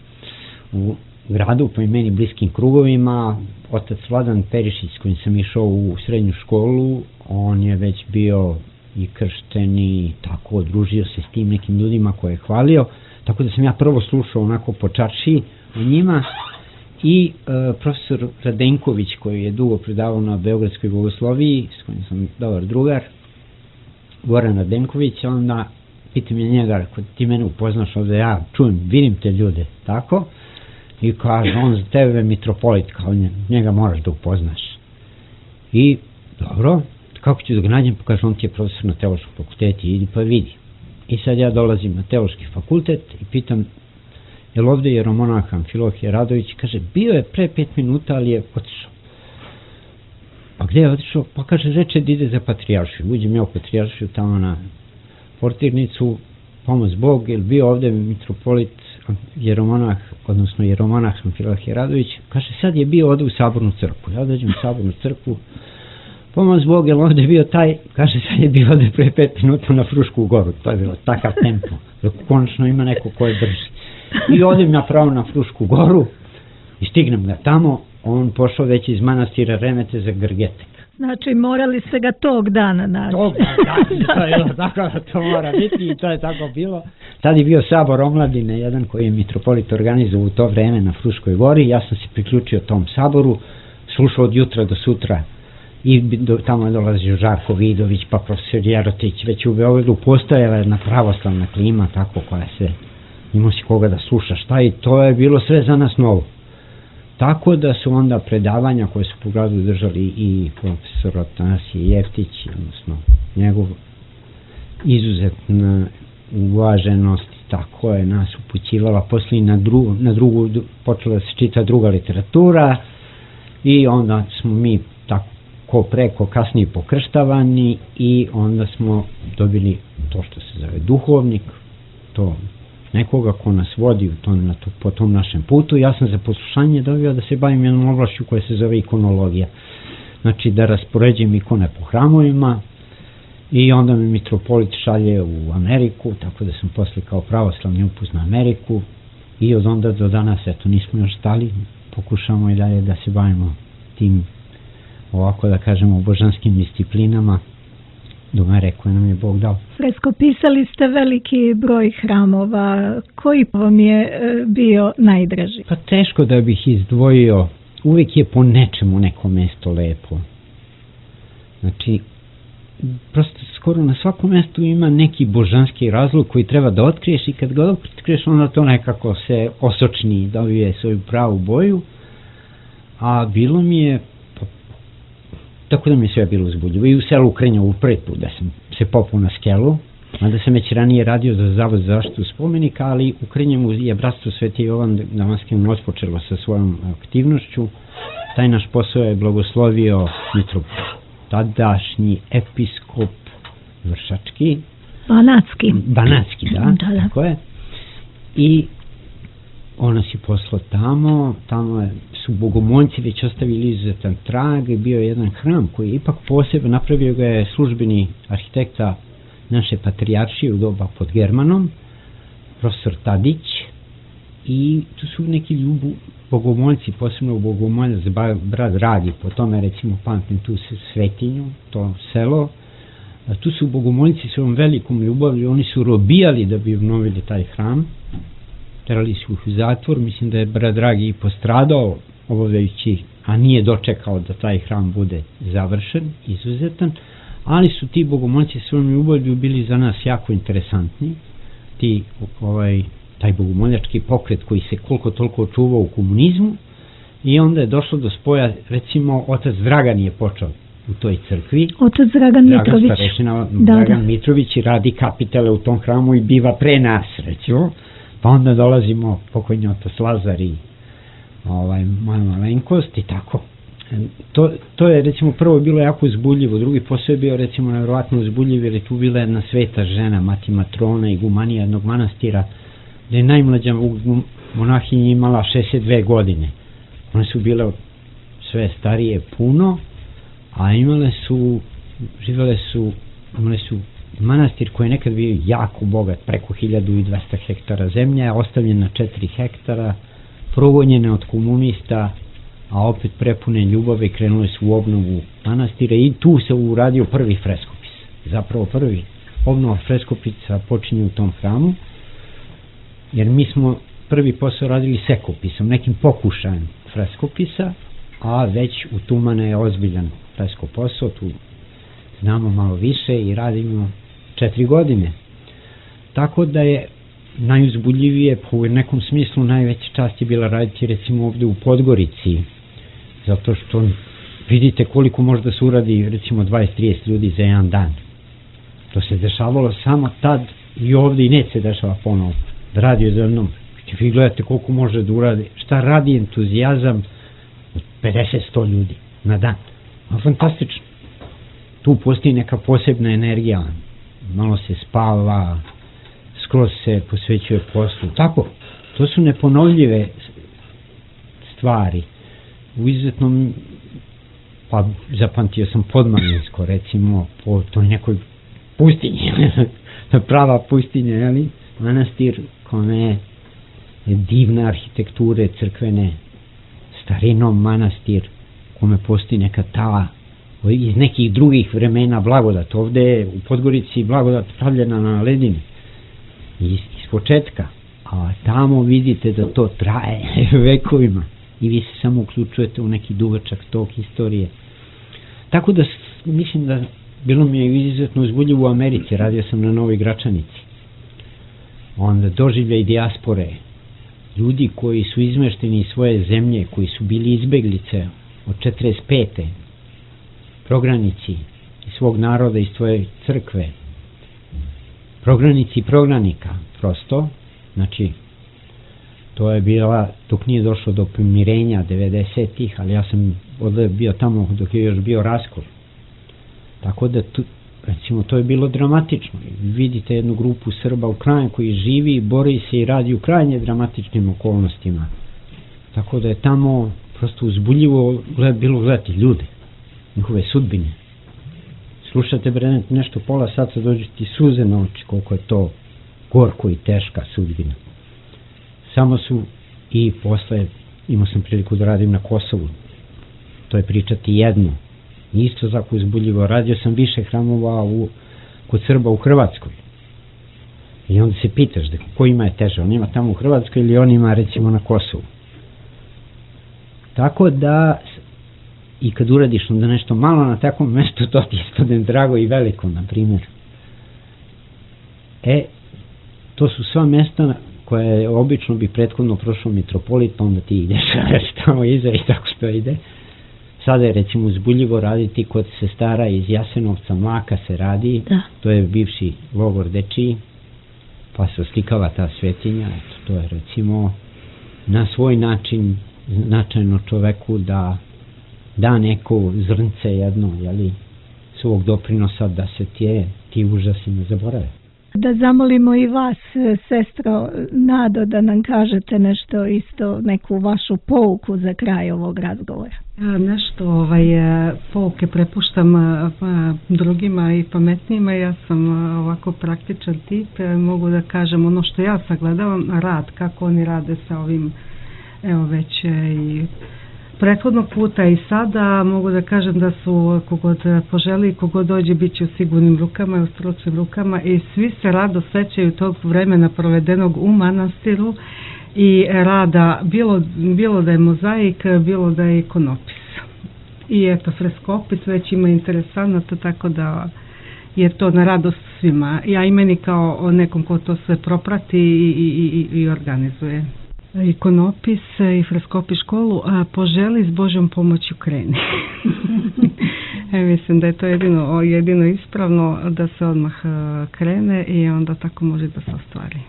u gradu, po i meni bliskim krugovima. Otac Vladan Perišić s kojim sam išao u srednju školu, on je već bio i kršten i tako odružio se s tim nekim ljudima koje je hvalio, tako da sam ja prvo slušao onako po čaršiji o njima i e, profesor Radenković koji je dugo predavao na Beogradskoj bogosloviji, s kojim sam dobar drugar, Goran Radenković, onda pitam je njega, kod ti mene upoznaš ovdje, ja čujem, vidim te ljude, tako, i kaže, on za tebe mitropolit, kao njega moraš da upoznaš. I, dobro, kako ću da ga nađem, pa kaže, on ti je profesor na teološkom fakultetu, idi pa vidi. I sad ja dolazim na teološki fakultet i pitam, je li ovdje jeromonah Amfilohije Radović, kaže, bio je pre pet minuta, ali je otišao. Pa gdje je otišao? Pa kaže, reče da ide za patrijaršiju. Uđem ja u patrijaršiju tamo na portirnicu, pomoz Bog, je li bio ovdje mitropolit jeromonah, odnosno jeromonah Amfilohije Radović, kaže, sad je bio ovdje u Sabornu crkvu. Ja dođem u Sabornu crkvu, pomoz Bog, je li ovdje bio taj, kaže, sad je bio ovdje pre pet minuta na Frušku goru. To je bilo takav tempo, dok konačno ima neko koje drži. I odem ja pravo na Frušku goru i stignem ga tamo, on pošao već iz manastira Remete za Grgetek. Znači morali ste ga tog dana naći. Tog dana, to je bilo tako da to mora biti i to je tako bilo. Tad je bio sabor omladine, jedan koji je mitropolit organizovao u to vreme na Fruškoj gori, ja sam se priključio tom saboru, slušao od jutra do sutra i do, tamo je dolazio Žarko Vidović, pa profesor Jerotić, već u Beogradu postojala jedna pravoslavna klima, tako koja se, imao si koga da sluša šta i to je bilo sve za nas novo. Tako da su onda predavanja koje su po gradu držali i profesor Atanasije Jeftić, odnosno njegov izuzetna uvaženost, tako je nas upućivala, poslije na, dru, na drugu počela se čita druga literatura i onda smo mi tako ko preko kasnije pokrštavani i onda smo dobili to što se zove duhovnik, to nekoga ko nas vodi u tom, na to, po tom našem putu. Ja sam za poslušanje dobio da se bavim jednom oblašću koja se zove ikonologija. Znači da raspoređujem ikone po hramovima i onda me mitropolit šalje u Ameriku, tako da sam posle kao pravoslavni upuz na Ameriku i od onda do danas, eto, nismo još stali, pokušamo i dalje da se bavimo tim, ovako da kažemo, božanskim disciplinama do mere koje nam je Bog dao. Freskopisali ste veliki broj hramova. Koji vam je bio najdraži? Pa teško da bih izdvojio. Uvijek je po nečemu neko mesto lepo. Znači, prosto skoro na svakom mjestu ima neki božanski razlog koji treba da otkriješ i kad ga otkriješ onda to nekako se osočni, dobije svoju pravu boju. A bilo mi je tako da mi je sve bilo uzbudljivo. I u selu Ukrenjovu prvi put da sam se popao na skelu, mada sam već ranije radio za Zavod za zaštitu spomenika, ali u Ukrenjovu je bratstvo Sveti Jovan Damaskin otpočelo sa svojom aktivnošću. Taj naš posao je blagoslovio mitropolit, tadašnji episkop Vršački. Banatski. Banatski, da, da, da. Tako je. I on nas je poslao tamo, tamo je, su bogomoljci već ostavili izuzetan trag i bio je jedan hram koji je ipak posebno, napravio ga je službeni arhitekta naše patrijaršije u doba pod Germanom, profesor Tadić, i tu su neki ljubu bogomoljci, posebno bogomoljac brat Radi, po tome recimo pamtim tu Svetinju, to selo, a tu su bogomoljci svojom velikom ljubavlju, oni su robijali da bi obnovili taj hram, terali su ih u zatvor, mislim da je brat Dragi i postradao obavljajući, a nije dočekao da taj hram bude završen, izuzetan, ali su ti bogomolci svojom ljubavlju bili za nas jako interesantni. Ti, ovaj, taj bogomoljački pokret koji se koliko toliko čuvao u komunizmu, i onda je došlo do spoja, recimo otac Dragan je počeo u toj crkvi. Otac Dragan Mitrović. Dragan starešina, da, Dragan da. Mitrović i radi kapitale u tom hramu i biva pre nas, recimo. Pa onda dolazimo pokojni otac Lazar i ovaj, moja malenkost i tako. To, to je recimo prvo bilo jako uzbudljivo, drugi posao je bio recimo nevjerovatno uzbudljiv jer je tu bila jedna sveta žena, mati Matrona i gumanija jednog manastira, gde je najmlađa monahinja imala šezdeset dve godine. One su bile sve starije puno, a imale su, živele su, imale su manastir koji je nekad bio jako bogat, preko hiljadu i dvesta hektara zemlje, ostavljen na četiri hektara, progonjene od komunista, a opet prepune ljubave, krenule su u obnovu manastira i tu se uradio prvi freskopis. Zapravo prvi obnova freskopisa počinje u tom hramu, jer mi smo prvi posao radili sekopisom, nekim pokušajem freskopisa, a već u Tumane je ozbiljan fresko posao, tu znamo malo više i radimo četiri godine. Tako da je najuzbudljivije, u nekom smislu najveća čast je bila raditi recimo ovde u Podgorici, zato što vidite koliko može da se uradi recimo dvadeset do trideset ljudi za jedan dan. To se dešavalo samo tad i ovde i neće se dešava ponovo. Da radi od jednom. Vi gledate koliko može da uradi, šta radi entuzijazam od pedeset do sto ljudi na dan. A fantastično. Tu postoji neka posebna energija. Malo se spava, skroz se posvećuje poslu. Tako, to su neponovljive stvari. U izuzetnom, pa zapamtio sam Podmaninsko, recimo, po toj nekoj pustinji, prava pustinja, jeli? Manastir kome je divne arhitekture crkvene, starinom manastir, kome postoji neka ta iz nekih drugih vremena blagodat. Ovde je u Podgorici blagodat pravljena na ledini iz, iz početka, a tamo vidite da to traje vekovima i vi se samo uključujete u neki duvačak tog historije. Tako da mislim da bilo mi je izuzetno uzbudljivo u Americi, radio sam na Novoj Gračanici. Onda doživljaj dijaspore, ljudi koji su izmešteni iz svoje zemlje, koji su bili izbeglice od četrdeset pete prognanici iz svog naroda, iz svoje crkve, prognanici i prognanika, prosto, znači, to je bila, dok nije došlo do pomirenja devedesetih, ali ja sam bio tamo dok je još bio raskol. Tako da, tu, recimo, to je bilo dramatično. Vidite jednu grupu Srba u kraju koji živi, bori se i radi u krajnje dramatičnim okolnostima. Tako da je tamo prosto uzbudljivo gled, bilo gledati ljude, njihove sudbine. Slušate bre nešto pola sata, dođu ti suze na oči, koliko je to gorko i teška sudbina. Samo su i posle, imao sam priliku da radim na Kosovu, to je pričati jedno. Isto tako uzbudljivo, radio sam više hramova u, kod Srba u Hrvatskoj. I onda se pitaš da ko ima je teže, on ima tamo u Hrvatskoj ili on ima recimo na Kosovu. Tako da i kad uradiš onda nešto malo na takvom mestu, to ti ispadne drago i veliko, na primjer. E, to su sva mesta koje obično bi prethodno prošao mitropolit, pa onda ti ideš tamo iza i tako što ide. Sada je recimo uzbudljivo raditi kod sestara iz Jasenovca, Mlaka se radi, da. To je bivši logor dečiji, pa se oslikava ta svetinja, eto, to je recimo na svoj način značajno čoveku da da neko zrnce jedno, jeli, svog doprinosa da se tije, ti užasi ne zaborave. Da zamolimo i vas, sestro Nado, da nam kažete nešto isto, neku vašu pouku za kraj ovog razgovora. Ja nešto ovaj, pouke prepuštam drugima i pametnijima, ja sam ovako praktičan tip, mogu da kažem ono što ja sagledavam, rad, kako oni rade sa ovim, evo već i prethodnog puta i sada, mogu da kažem da su kogod poželi i kogod dođe bit će u sigurnim rukama i u stručnim rukama i svi se rado sećaju tog vremena provedenog u manastiru i rada, bilo, bilo da je mozaik, bilo da je ikonopis. i eto freskopis već ima interesantno, tako da je to na radost svima. Ja i meni kao nekom ko to sve proprati i, i, i, i organizuje. Ikonopis i freskopis školu, a poželi s Božjom pomoću kreni. E, mislim da je to jedino, jedino ispravno da se odmah krene i onda tako može da se ostvari.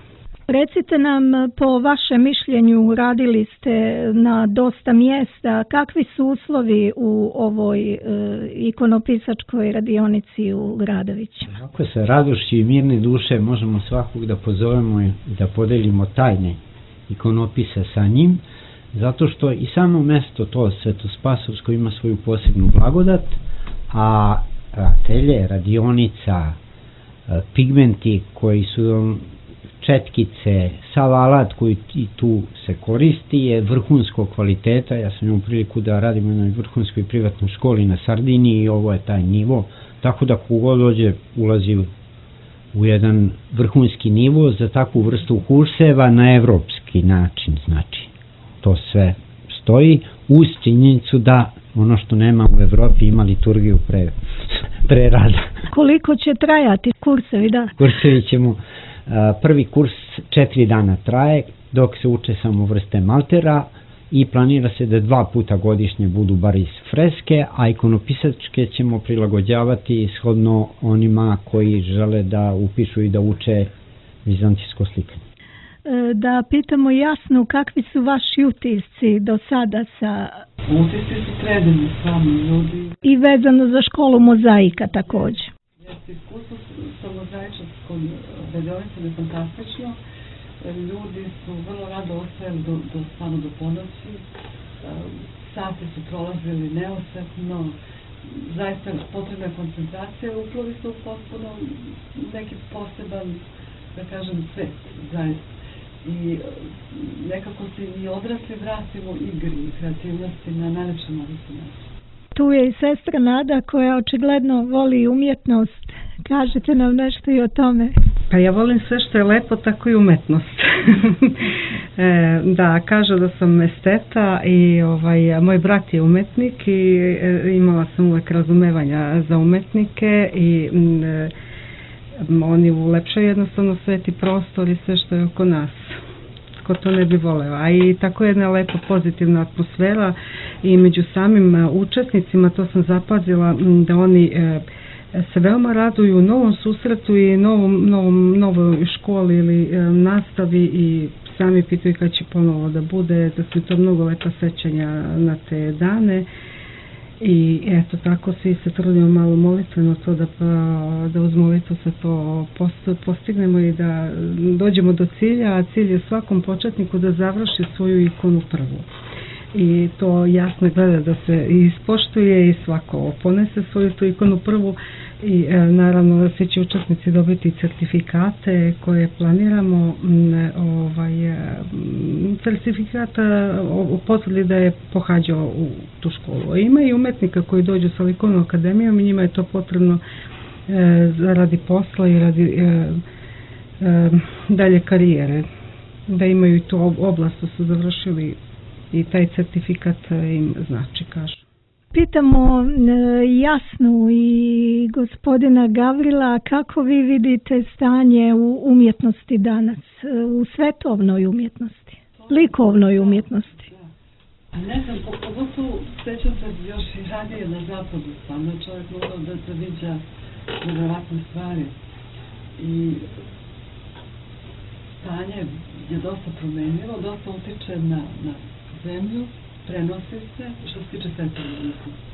Recite nam, po vašem mišljenju, radili ste na dosta mjesta, kakvi su uslovi u ovoj e, ikonopisačkoj radionici u Radovićima? Ako se radošću i mirne duše možemo svakog da pozovemo i da podelimo tajne ikonopisa sa njim, zato što i samo mesto to Svetospasovsko ima svoju posebnu blagodat, a atelje, radionica, pigmenti koji su četkice, sav alat koji i tu se koristi je vrhunskog kvaliteta. Ja sam imao priliku da radim u jednoj vrhunskoj privatnoj školi na Sardiniji i ovo je taj nivo, tako da kogod dođe ulazi u jedan vrhunski nivo za takvu vrstu kurseva na evropski način. Znači, to sve stoji uz činjenicu da ono što nema u Evropi ima liturgiju pre, pre rada. Koliko će trajati kursevi, da? Kursevi ćemo, prvi kurs četiri dana traje, dok se uče samo vrste maltera i planira se da dva puta godišnje budu bar iz freske, a ikonopisačke ćemo prilagođavati shodno onima koji žele da upišu i da uče vizantijsko slikanje. Da pitamo Jasnu, kakvi su vaši utisci do sada sa... Utisci su predivni sami ljudi. I vezano za školu mozaika također. Jeste, iskustvo sa mozaičarskom radionicom je fantastično. Ljudi su vrlo rado ostajali do, do, samo do ponoći. Sati su prolazili neosetno. Zaista potrebna koncentracija. Uplovi su potpuno neki poseban, da kažem, svet. Zaista. I nekako se i odrasli vratimo igri i kreativnosti na najlepši mogući način. Tu je i sestra Nada koja očigledno voli umjetnost. Kažete nam nešto i o tome. Pa ja volim sve što je lepo, tako i umetnost. e, da, kažu da sam esteta i ovaj, moj brat je umetnik i e, imala sam uvek razumevanja za umetnike i e, oni ulepšaju jednostavno sveti prostor i sve što je oko nas. Ko to ne bi voleo. A i tako jedna lepa pozitivna atmosfera i među samim učesnicima, to sam zapazila, da oni e, se veoma raduju novom susretu i novom, novom, novoj školi ili e, nastavi i sami pitaju kad će ponovo da bude, da su to mnogo lepa sećanja na te dane. I eto, tako svi se trudimo malo molitveno to da, da uz molitvu se to postignemo i da dođemo do cilja, a cilj je svakom početniku da završi svoju ikonu prvu. I to jasno gleda da se ispoštuje i svako ponese svoju tu ikonu prvu i e, naravno da svi će učesnici dobiti certifikate koje planiramo, m, ovaj, e, certifikata o potvrdi da je pohađao u tu školu. Ima i umetnika koji dođu sa likovnom akademijom i njima je to potrebno e, radi posla i radi e, e, dalje karijere, da imaju tu oblast da su završili i taj certifikat im znači, kažu. Pitamo Jasnu i gospodina Gavrila, kako vi vidite stanje u umjetnosti danas, u svetovnoj umjetnosti, likovnoj umjetnosti? Ne znam, pogotovo sećam se još i radije na zapadu, stvarno čovjek mogao da se viđa nevjerovatne stvari i stanje je dosta promenljivo, dosta utiče na, na zemlju, prenosi se, što se tiče svetovne umjetnosti.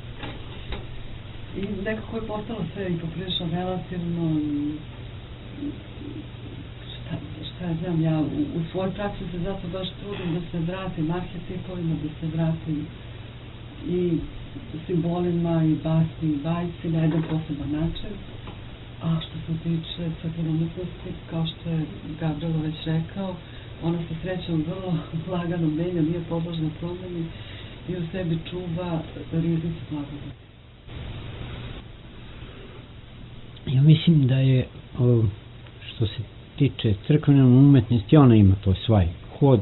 I nekako je postalo sve i poprilično relativno, šta, šta ja znam, ja u, u svojoj praksi se zato baš trudim da se vratim arhetipovima, da se vratim i simbolima i basni i bajci na jedan poseban način. A što se tiče svetovne umjetnosti, kao što je Gavrilo već rekao, ona se srećom vrlo lagano menja, nije podložna promjeni i u sebi čuva riznicu blagodati. Ja mislim da je, što se tiče crkvene umetnosti, ona ima to svoj hod,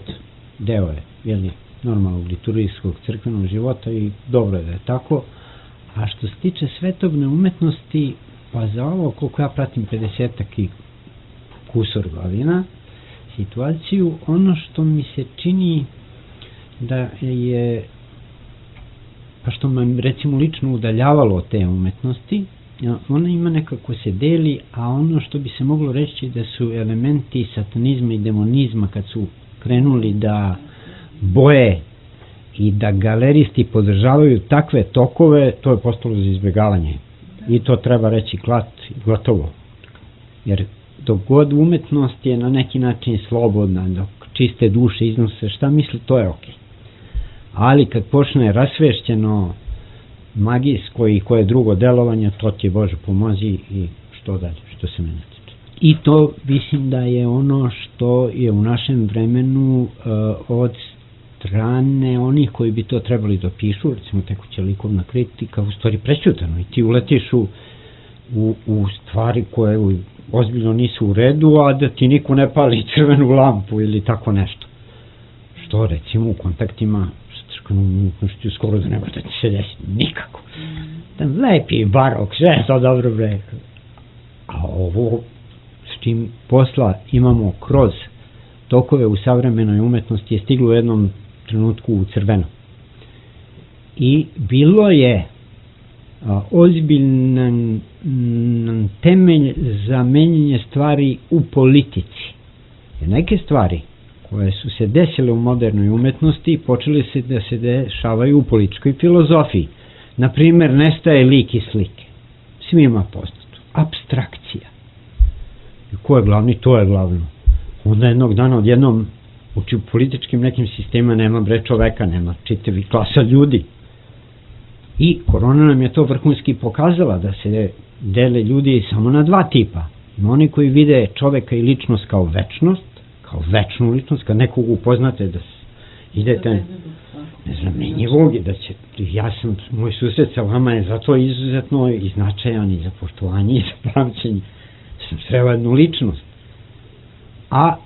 deo je, jeli, normalnog liturgijskog crkvenog života i dobro je da je tako, A što se tiče svetovne umetnosti, pa za ovo, koliko ja pratim pedesetak i kusor godina, situaciju, ono što mi se čini da je, pa što me recimo lično udaljavalo od te umetnosti, ona ima nekako se deli, a ono što bi se moglo reći da su elementi satanizma i demonizma kad su krenuli da boje i da galeristi podržavaju takve tokove, to je postalo za izbjegavanje. I to treba reći klat i gotovo. Jer dok god umetnost je na neki način slobodna, dok čiste duše iznose šta misli, to je okej. Ali kad počne rasvešćeno magijsko i koje drugo delovanje, to ti Bože pomozi i što dalje, što se mene tiče. I to mislim da je ono što je u našem vremenu uh, od strane onih koji bi to trebali da pišu, recimo tekuća likovna kritika, u stvari prećutano i ti uletiš u, u, u stvari koje ozbiljno nisu u redu, a da ti niko ne pali crvenu lampu ili tako nešto. Što recimo u kontaktima umetnošću skoro da nema da ti se desi nikako. Tam lepi barok, sve je to dobro bre. A ovo s čim posla imamo kroz tokove u savremenoj umetnosti je stiglo u jednom trenutku u crveno. I bilo je a, ozbiljan m, temelj za menjanje stvari u politici. Jer neke stvari koje su se desile u modernoj umetnosti počeli se da se dešavaju u političkoj filozofiji. Naprimer, nestaje lik i slike. Svima poznato. Apstrakcija. I ko je glavni? To je glavno. Onda jednog dana odjednom u političkim nekim sistemima nema bre čoveka, nema čitavi klasa ljudi. I korona nam je to vrhunski pokazala da se dele ljudi samo na dva tipa. Ima oni koji vide čoveka i ličnost kao večnost, kao večnu ličnost, kad nekog upoznate da idete, ne znam, menjivog i da će, ja sam, moj susret sa vama je zato izuzetno i značajan i za poštovanje i za pamćenje. Sam sreo jednu ličnost. A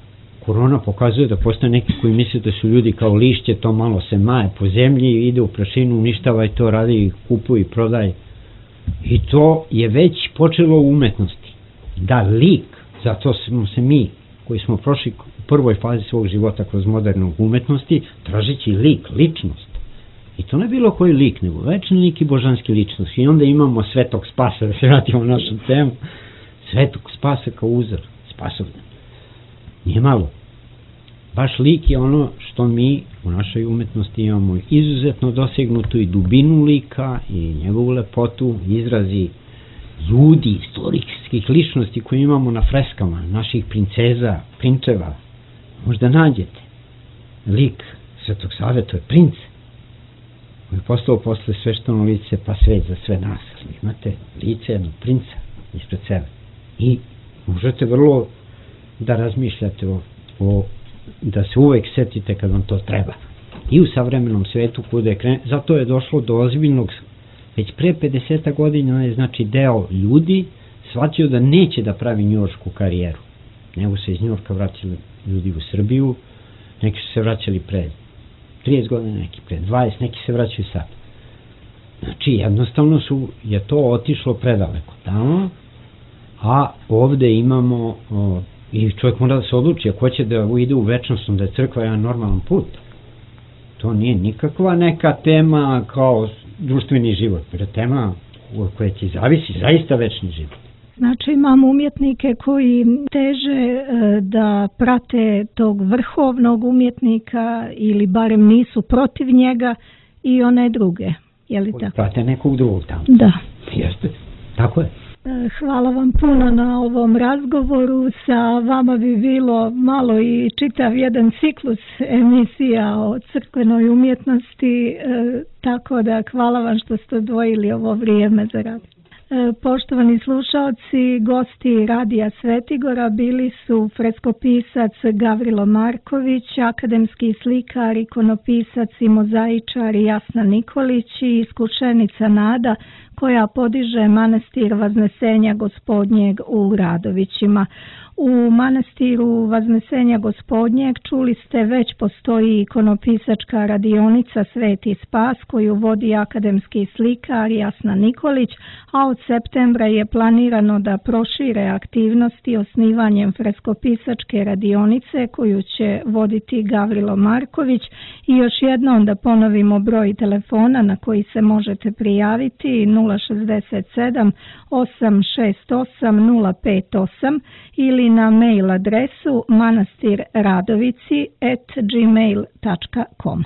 korona pokazuje da postoje neki koji misle da su ljudi kao lišće, to malo se maje po zemlji, ide u prašinu, uništava i to radi, kupuje i prodaje. I to je već počelo u umetnosti. Da lik, zato smo se mi, koji smo prošli u prvoj fazi svog života kroz modernu umetnosti, tražeći lik, ličnost. I to ne bilo koji lik, nego večni lik i božanski ličnost. I onda imamo Svetog Spasa, da se vratimo u našu temu, Svetog Spasa kao uzor, spasovdan. Nije malo. Baš lik je ono što mi u našoj umetnosti imamo izuzetno dosegnutu i dubinu lika i njegovu lepotu, izrazi ljudi, istorijskih ličnosti koje imamo na freskama, naših princeza, prinčeva. Možda nađete. Lik Svetog Save, to je princ. On je postao posle svešteno lice, pa svet za sve nas. Imate lice jednog princa ispred sebe. I možete vrlo da razmišljate o, o da se uvek setite kad vam to treba. I u savremenom svetu kuda je kren... zato je došlo do ozbiljnog, već pre pedeset godina je znači deo ljudi shvatio da neće da pravi njujoršku karijeru. Nego se iz Njujorka vraćali ljudi u Srbiju, neki su se vraćali pre trideset godina, neki pre dvadeset, neki se vraćaju sad. Znači jednostavno su, je to otišlo predaleko tamo, a ovde imamo o, i čovjek mora da se odluči ako će da ide u večnost, da je crkva jedan normalan put. To nije nikakva neka tema kao društveni život, jer tema u kojoj ti zavisi zaista večni život. Znači imamo umjetnike koji teže da prate tog vrhovnog umjetnika ili barem nisu protiv njega i one druge. Je li tako? Prate nekog drugog tamo. Da. Jeste, tako je. Hvala vam puno na ovom razgovoru. Sa vama bi bilo malo i čitav jedan ciklus emisija o crkvenoj umjetnosti, tako da hvala vam što ste odvojili ovo vrijeme za rad. Poštovani slušalci, gosti Radija Svetigora bili su freskopisac Gavrilo Marković, akademski slikar, ikonopisac i mozaičar Jasna Nikolić i iskušenica Nada, koja podiže manastir Vaznesenja Gospodnjeg u Radovićima. U manastiru Vaznesenja Gospodnjeg, čuli ste, već postoji ikonopisačka radionica Sveti Spas koju vodi akademski slikar Jasna Nikolić, a od septembra je planirano da prošire aktivnosti osnivanjem freskopisačke radionice koju će voditi Gavrilo Marković. I još jednom da ponovimo broj telefona na koji se možete prijaviti: nula šezdeset sedam osam šest osam nula pet osam ili na mail adresu manastirradovici at gmail dot com.